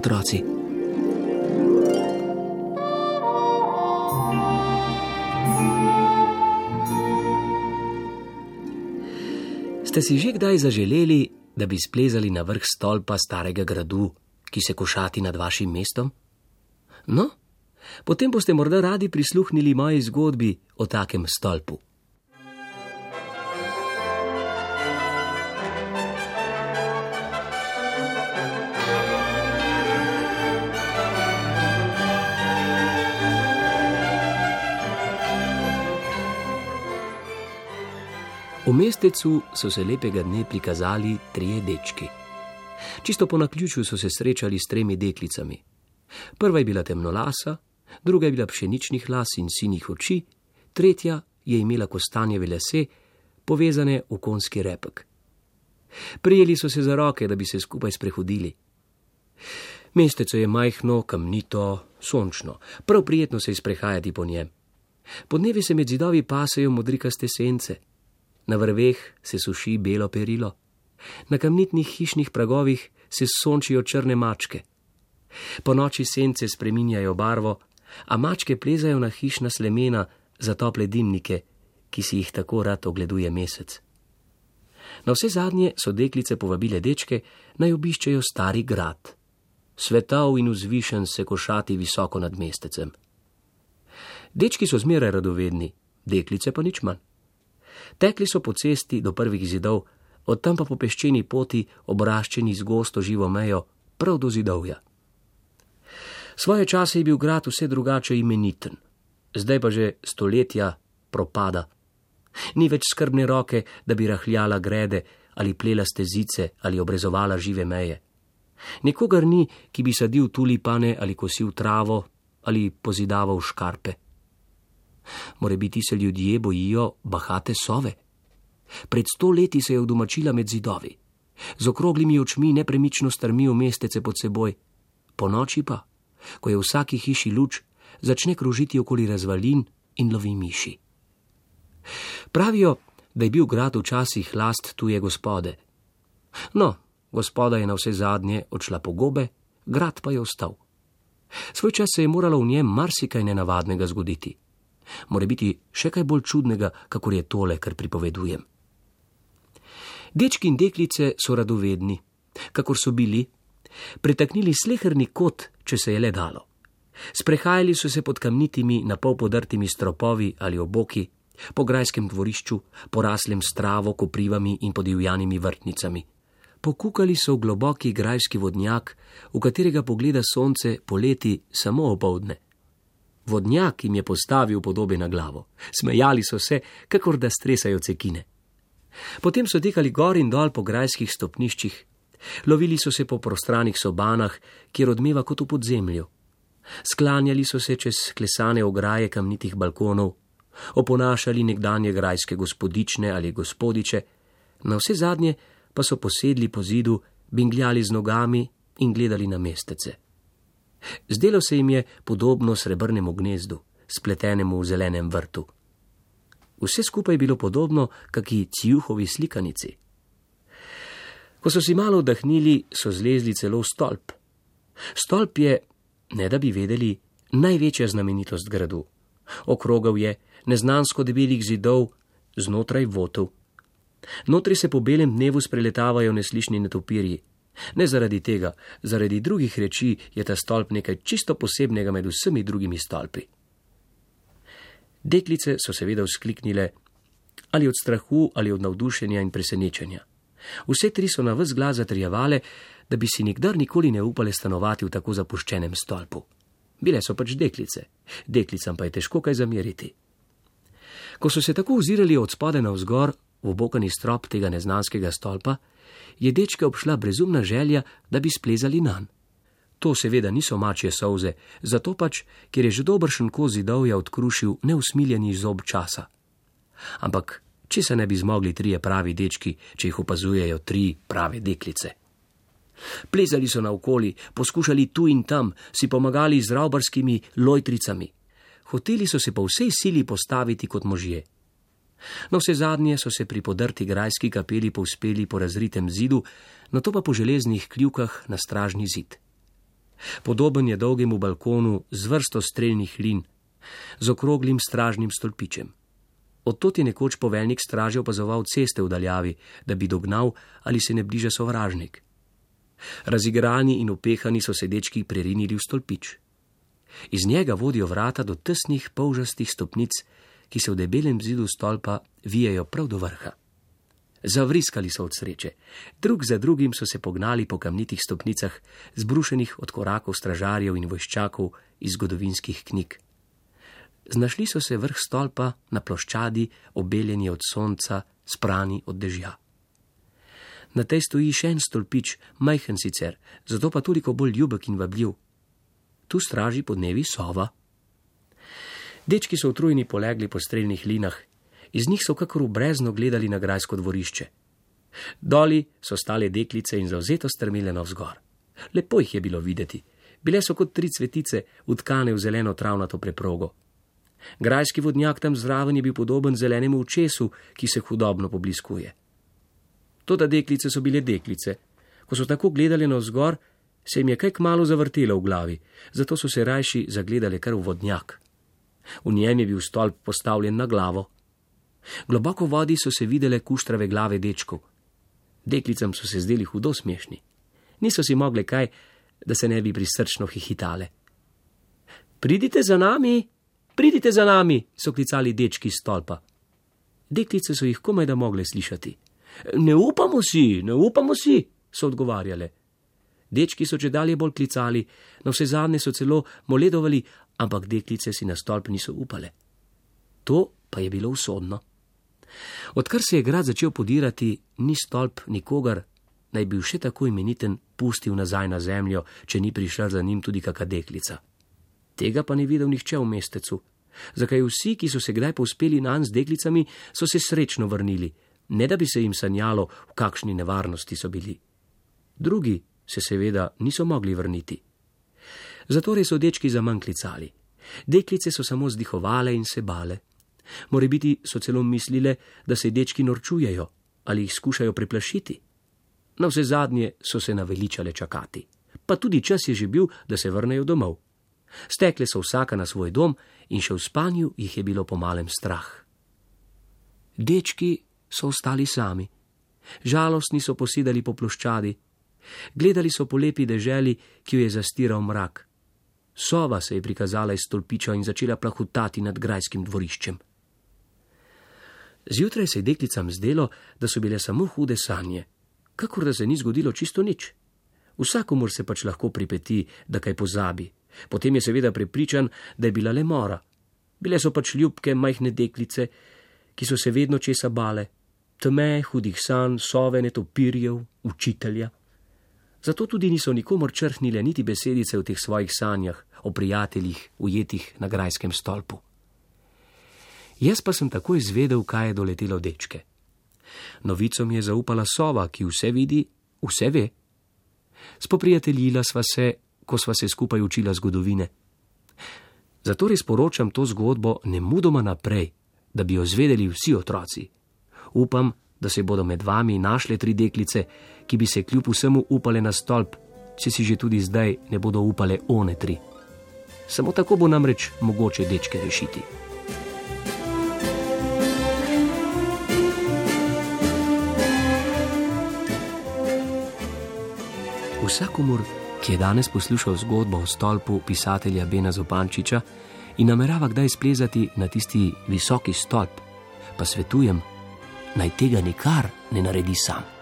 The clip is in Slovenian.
otroci. Ste si že kdaj zaželeli, da bi splezali na vrh stolpa starega gradu, ki se košati nad vašim mestom? No, potem boste morda radi prisluhnili moji zgodbi o takem stolpu. V mestecu so se lepega dne prikazali 3 dečki. Čisto po naključju so se srečali s 3 deklicami. Prva je bila temnolasa, druga je bila pšeničnih las in sinih oči, tretja je imela kostanjeve lase, povezane v konjski repek. Prijeli so se za roke, da bi se skupaj sprehodili. Mestece je majhno, kamnito, sončno, prav prijetno se je sprehajati po njem. Podnevi se med zidovi pasejo modrikaste sence. Na vrveh se suši belo perilo, na kamnitnih hišnih pragovih se sončijo črne mačke. Po noči sence spreminjajo barvo, a mačke plezajo na hišna slemena za tople dimnike, ki si jih tako rad ogleduje mesec. Na vse zadnje so deklice povabile dečke, naj obiščejo stari grad. Svetav in vzvišen se košati visoko nad mestecem. Dečki so zmeraj radovedni, deklice pa nič manj. Tekli so po cesti do prvih zidov, od tam pa po peščeni poti, obraščeni z gosto živo mejo, prav do zidovja. Svoje čase je bil grad vse drugače imeniten, zdaj pa že stoletja propada. Ni več skrbne roke, da bi rahljala grede ali plela stezice ali obrezovala žive meje. Nikogar ni, ki bi sadil tulipane ali kosil travo ali pozidaval škarpe. Morebiti se ljudje bojijo bahate sove. Pred 100 leti se je udomačila med zidovi. Z okroglimi očmi nepremično strmi v mestece pod seboj. Po noči pa, ko je v vsaki hiši luč, začne krožiti okoli razvalin in lovi miši. Pravijo, da je bil grad včasih last tuje gospode. No, gospoda je na vse zadnje odšla po gobe, grad pa je ostal. Svoj čas se je moralo v njem marsikaj nenavadnega zgoditi. Morebiti še kaj bolj čudnega, kakor je tole, kar pripovedujem. Dečki in deklice so radovedni, kakor so bili, pretaknili sleherni kot, če se je le dalo. Sprehajali so se pod kamnitimi, napol podrtimi stropovi ali oboki, po grajskem dvorišču, poraslem s travo, koprivami in podivjanimi vrtnicami. Pokukali so v globoki grajski vodnjak, v katerega pogleda sonce poleti samo opoldne. Vodnjak jim je postavil podobe na glavo. Smejali so se, kakor da stresajo cekine. Potem so tekali gor in dol po grajskih stopniščih. Lovili so se po prostranih sobanah, kjer odmeva kot v podzemlju. Sklanjali so se čez klesane ograje kamnitih balkonov, oponašali nekdanje grajske gospodične ali gospodiče, na vse zadnje pa so posedli po zidu, bingljali z nogami in gledali na mestece. Zdelo se jim je podobno srebrnemu gnezdu, spletenemu v zelenem vrtu. Vse skupaj je bilo podobno kaki Cijuhovi slikanici. Ko so si malo oddahnili, so zlezli celo v stolp. Stolp je, ne da bi vedeli, največja znamenitost gradu. Okrogel je, neznansko debelih zidov, znotraj votov. Notri se po belem dnevu spreletavajo neslišni netopirji. Ne zaradi tega, zaradi drugih reči je ta stolp nekaj čisto posebnega med vsemi drugimi stolpi. Deklice so seveda vzkliknile, ali od strahu, ali od navdušenja in presenečenja. Vse 3 so na ves glas zatrjevale, da bi si nikdar nikoli ne upale stanovati v tako zapuščenem stolpu. Bile so pač deklice, deklicam pa je težko kaj zameriti. Ko so se tako ozirali od spodaj navzgor v obokani strop tega neznanskega stolpa, je dečke obšla brezumna želja, da bi splezali nanj. To seveda niso mačje solze, zato pač, ker je že dobršen kos zidovja odkrušil neusmiljeni zob časa. Ampak, če se ne bi zmogli 3 pravi dečki, če jih opazujejo 3 prave deklice. Plezali so naokoli, poskušali tu in tam, si pomagali z ravbarskimi lojtricami. Hoteli so se po vsej sili postaviti kot možje. No, vse zadnje so se pri podrti grajski kapeli povzpeli po razritem zidu, nato pa po železnih kljukah na stražni zid. Podoben je dolgemu balkonu z vrsto strelnih lin, z okroglim stražnim stolpičem. Odtot je nekoč poveljnik straže opazoval ceste v daljavi, da bi dognal, ali se ne bliža sovražnik. Razigrani in upehani so se dečki prerinili v stolpič. Iz njega vodijo vrata do tesnih polžastih stopnic, ki se v debelem zidu stolpa vijejo prav do vrha. Zavriskali so od sreče. Drug za drugim so se pognali po kamnitih stopnicah, zbrušenih od korakov stražarjev in vojščakov iz zgodovinskih knjig. Znašli so se vrh stolpa na ploščadi, obeljeni od sonca, sprani od dežja. Na tej stoji še en stolpič, majhen sicer, zato pa toliko bolj ljubek in vabljiv. Tu straži podnevi sova. Dečki so utrujeni polegli po strelnih linah. Iz njih so kakor v brezno gledali na grajsko dvorišče. Doli so stale deklice in zavzeto strmele navzgor. Lepo jih je bilo videti. Bile so kot 3 cvetice, utkane v zeleno travnato preprogo. Grajski vodnjak tam zraven je bil podoben zelenemu očesu, ki se hudobno pobliskuje. Toda deklice so bile deklice. Ko so tako gledali navzgor, se jim je kaj kmalu zavrtelo v glavi, zato so se rajši zagledali kar v vodnjak. V njem je bil stolp postavljen na glavo. Globoko v vodi so se videle kuštrave glave dečkov. Deklicam so se zdeli hudo smešni. Niso si mogle kaj, da se ne bi prisrčno hihitale. Pridite za nami, so klicali dečki iz stolpa. Deklice so jih komaj da mogle slišati. Ne upamo si, so odgovarjale. Dečki so čedalje bolj klicali, na vse zadnje so celo moledovali, ampak deklice si na stolp niso upale. To pa je bilo usodno. Odkar se je grad začel podirati, ni stolp nikogar, naj bil še tako imeniten, pustil nazaj na zemljo, če ni prišla za njim tudi kaka deklica. Tega pa ni videl nihče v mestecu, zakaj vsi, ki so se kdaj povzpeli nanj z deklicami, so se srečno vrnili, ne da bi se jim sanjalo, v kakšni nevarnosti so bili. Drugi se seveda niso mogli vrniti. Zatorej so dečki zaman klicali. Deklice so samo zdihovale in se bale. Morebiti so celo mislile, da se dečki norčujejo ali jih skušajo preplašiti. Na vse zadnje so se naveličale čakati. Pa tudi čas je že bil, da se vrnejo domov. Stekle so vsaka na svoj dom in še v spanju jih je bilo pomalem strah. Dečki so ostali sami. Žalostni so posedali po ploščadi. Gledali so po lepi deželi, ki jo je zastiral mrak. Sova se je prikazala iz stolpiča in začela plahutati nad grajskim dvoriščem. Zjutraj se je deklicam zdelo, da so bile samo hude sanje, kakor da se ni zgodilo čisto nič. Vsakomur se pač lahko pripeti, da kaj pozabi. Potem je seveda prepričan, da je bila le mora. Bile so pač ljubke, majhne deklice, ki so se vedno česa bale. Tme, hudih sanj, sove, netopirjev, učitelja. Zato tudi niso nikomor črhnile niti besedice v teh svojih sanjah o prijateljih, ujetih na grajskem stolpu. Jaz pa sem takoj izvedel, kaj je doletelo dečke. Novico mi je zaupala sova, ki vse vidi, vse ve. Spoprijateljila sva se, ko sva se skupaj učila zgodovine. Zatorej sporočam to zgodbo nemudoma naprej, da bi jo zvedeli vsi otroci. Upam, da se bodo med vami našle 3 deklice, ki bi se kljub vsemu upale na stolp, če si že tudi zdaj ne bodo upale one 3. Samo tako bo namreč mogoče dečke rešiti. Vsakomur, ki je danes poslušal zgodbo o stolpu pisatelja Bena Zupančiča in namerava kdaj splezati na tisti visoki stolp, pa svetujem, naj tega nikar ne naredi sam.